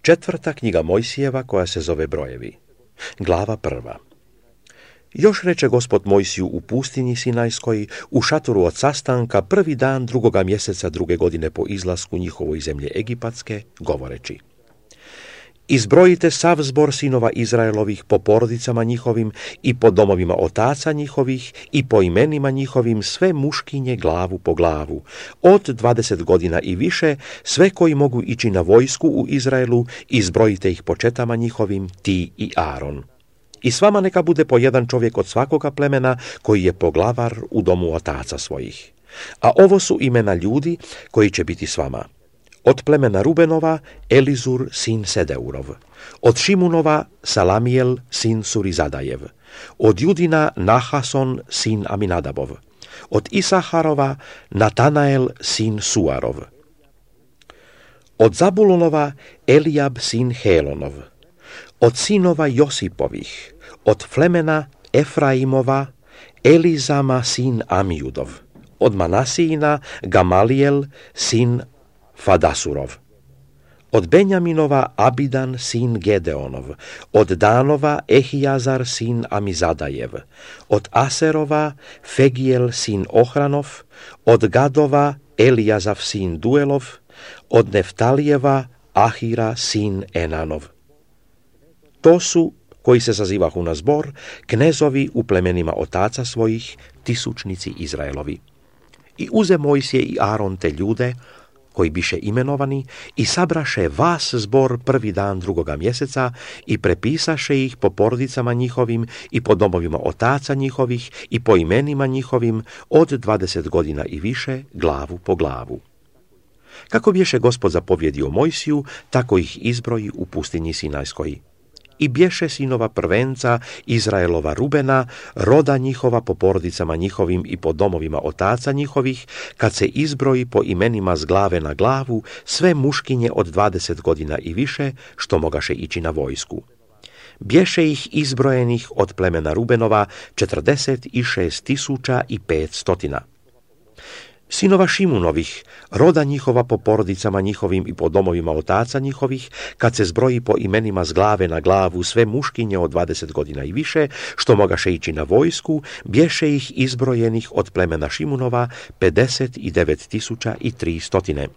4. knjiga Mojsijeva koja se zove Brojevi. Glava 1. Još reče Gospod Mojsiju u pustinji Sinajskoj, u šatoru od sastanka, 1. dan 2. mjeseca 2. godine po izlasku njihovoj iz zemlje Egipatske, govoreći: Izbrojite sav zbor sinova Izraelovih po porodicama njihovim i po domovima otaca njihovih i po imenima njihovim, sve muškinje glavu po glavu, od 20 godina i više, sve koji mogu ići na vojsku u Izraelu, izbrojite ih po četama njihovim, ti i Aron. I s vama neka bude po jedan čovjek od svakoga plemena koji je poglavar u domu otaca svojih. A ovo su imena ljudi koji će biti s vama. Od plemena Rubenova, Elizur, sin Sedeurov. Od Šimunova, Salamijel, sin Surizadajev. Od Judina, Nahason, sin Aminadabov. Od Isaharova, Natanael, sin Suarov. Od Zabulonova, Elijab, sin Helonov. Od sinova Josipovih, od plemena Efraimova, Elizama, sin Amijudov. Od Manasijina, Gamalijel, sin Fadasurov. Od Benjaminova, Abidan, sin Gedeonov. Od Danova, Ehijazar, sin Amizadajev. Od Aserova, Fegijel, sin Ohranov. Od Gadova, Elijazav, sin Duelov. Od Neftalijeva, Ahira, sin Enanov. To su, koji se sazivahu na zbor, knezovi u plemenima otaca svojih, tisućnici Izraelovi. I uze Mojsije i Aron te ljude, koji biše imenovani, i sabraše vas zbor 1. dan 2. mjeseca i prepisaše ih po porodicama njihovim i po domovima otaca njihovih i po imenima njihovim, od 20 godina i više, glavu po glavu. Kako bješe Gospod zapovjedio Mojsiju, tako ih izbroji u pustinji Sinajskoj. I bješe sinova prvenca Izraelova Rubena, roda njihova po porodicama njihovim i po domovima otaca njihovih, kad se izbroji po imenima s glave na glavu, sve muškinje od 20 godina i više, što mogaše ići na vojsku. Bješe ih izbrojenih od plemena Rubenova 46.500. Sinova Šimunovih, roda njihova po porodicama njihovim i po domovima otaca njihovih, kad se zbroji po imenima s glave na glavu sve muškinje od 20 godina i više, što mogaše ići na vojsku, bješe ih izbrojenih od plemena Šimunova 59.300.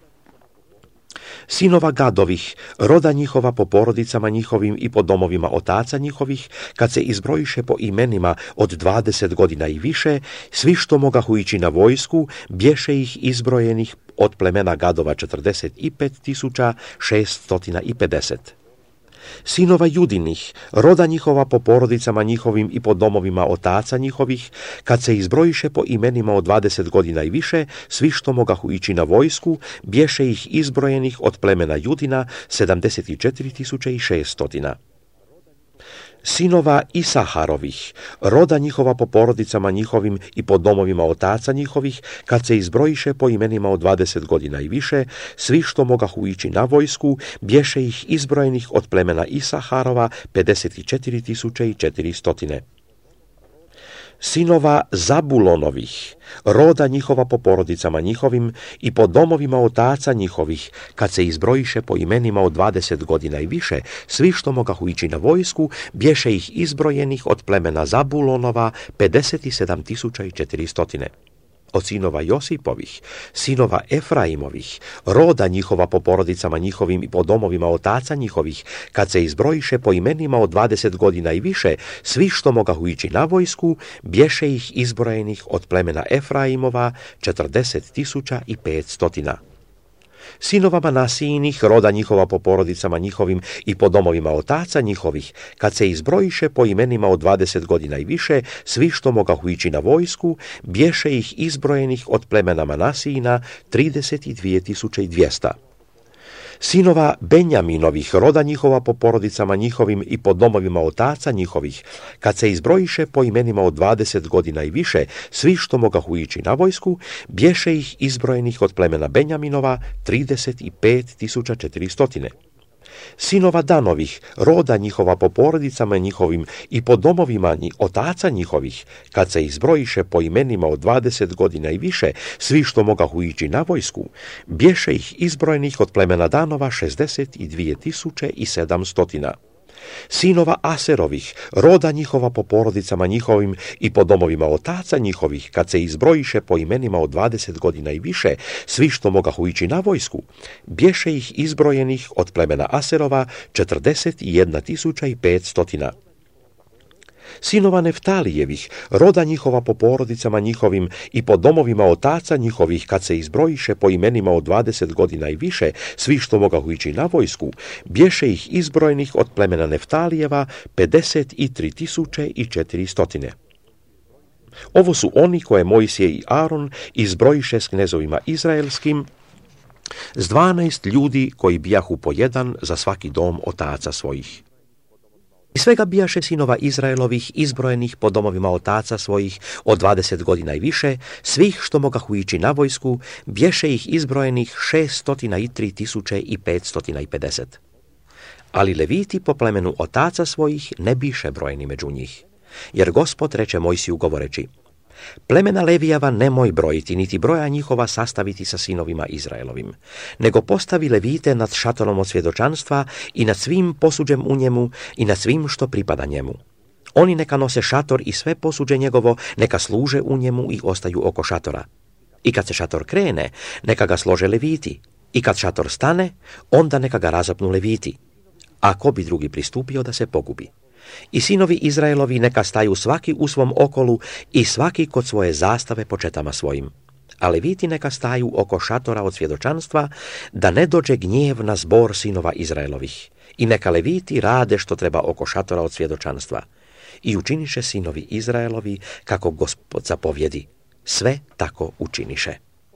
Sinova Gadovih, roda njihova po porodicama njihovim i po domovima otaca njihovih, kad se izbrojiše po imenima od 20 godina i više, svi što mogahu ići na vojsku, bješe ih izbrojenih od plemena Gadova 45.650. Sinova Judinih, roda njihova po porodicama njihovim i po domovima otaca njihovih, kad se izbrojiše po imenima od 20 godina i više, svi što mogahu ići na vojsku, bješe ih izbrojenih od plemena Judina 74.600. Sinova Isaharovih, roda njihova po porodicama njihovim i po domovima otaca njihovih, kad se izbrojiše po imenima od 20 godina i više, svi što mogahu ići na vojsku, bješe ih izbrojenih od plemena Isaharova 54.400. Sinova Zabulonovih, roda njihova po porodicama njihovim i po domovima otaca njihovih, kad se izbrojiše po imenima od 20 godina i više, svi što mogahu ići na vojsku, bješe ih izbrojenih od plemena Zabulonova 57.400. Od sinova Josipovih, sinova Efraimovih, roda njihova po porodicama njihovim i po domovima otaca njihovih, kad se izbrojiše po imenima od 20 godina i više, svi što mogahu ići na vojsku, bješe ih izbrojenih od plemena Efraimova 40.500. Sinova Manasijinih, roda njihova po porodicama njihovim i po domovima otaca njihovih, kad se izbrojiše po imenima od 20 godina i više, svi što mogahu ići na vojsku, bješe ih izbrojenih od plemena Manasijina 32.200. Sinova Benjaminovih, roda njihova po porodicama njihovim i po domovima otaca njihovih, kad se izbrojiše po imenima od 20 godina i više, svi što mogahu ići na vojsku, bješe ih izbrojenih od plemena Benjaminova 35.400. Sinova Danovih, roda njihova po porodicama njihovim i po domovima otaca njihovih, kad se ih zbrojiše po imenima od 20 godina i više, svi što mogahu ići na vojsku, bješe ih izbrojenih od plemena Danova 62.700. Sinova Aserovih, roda njihova po porodicama njihovim i po domovima otaca njihovih, kad se izbrojiše po imenima od 20 godina i više, svi što mogahu ići na vojsku, bješe ih izbrojenih od plemena Aserova 41.500. Sinova Neftalijevih, roda njihova po porodicama njihovim i po domovima otaca njihovih, kad se izbrojiše po imenima od 20 godina i više, svi što mogahu ići na vojsku, bješe ih izbrojenih od plemena Neftalijeva 53.400. Ovo su oni koje Mojsije i Aron izbrojiše s knezovima izraelskim, s 12 ljudi koji bijahu po jedan za svaki dom otaca svojih. I svega bijaše sinova Izraelovih izbrojenih po domovima otaca svojih od 20 godina i više, svih što mogahu ići na vojsku, bješe ih izbrojenih 603.550. Ali Leviti po plemenu otaca svojih ne biše brojeni među njih. Jer Gospod reče Mojsiju govoreći: plemena Levijeva nemoj brojiti, niti broja njihova sastaviti sa sinovima Izraelovim, nego postavi Levite nad šatorom od svjedočanstva i nad svim posuđem u njemu i nad svim što pripada njemu. Oni neka nose šator i sve posuđe njegovo, neka služe u njemu i ostaju oko šatora. I kad se šator krene, neka ga slože Leviti, i kad šator stane, onda neka ga razapnu Leviti. A ko bi drugi pristupio da se pogubi? I sinovi Izraelovi neka staju svaki u svom okolu i svaki kod svoje zastave po četama svojim. A Leviti neka staju oko šatora od svjedočanstva, da ne dođe gnjev na zbor sinova Izraelovih. I neka Leviti rade što treba oko šatora od svjedočanstva. I učiniše sinovi Izraelovi kako Gospod zapovjedi. Sve tako učiniše.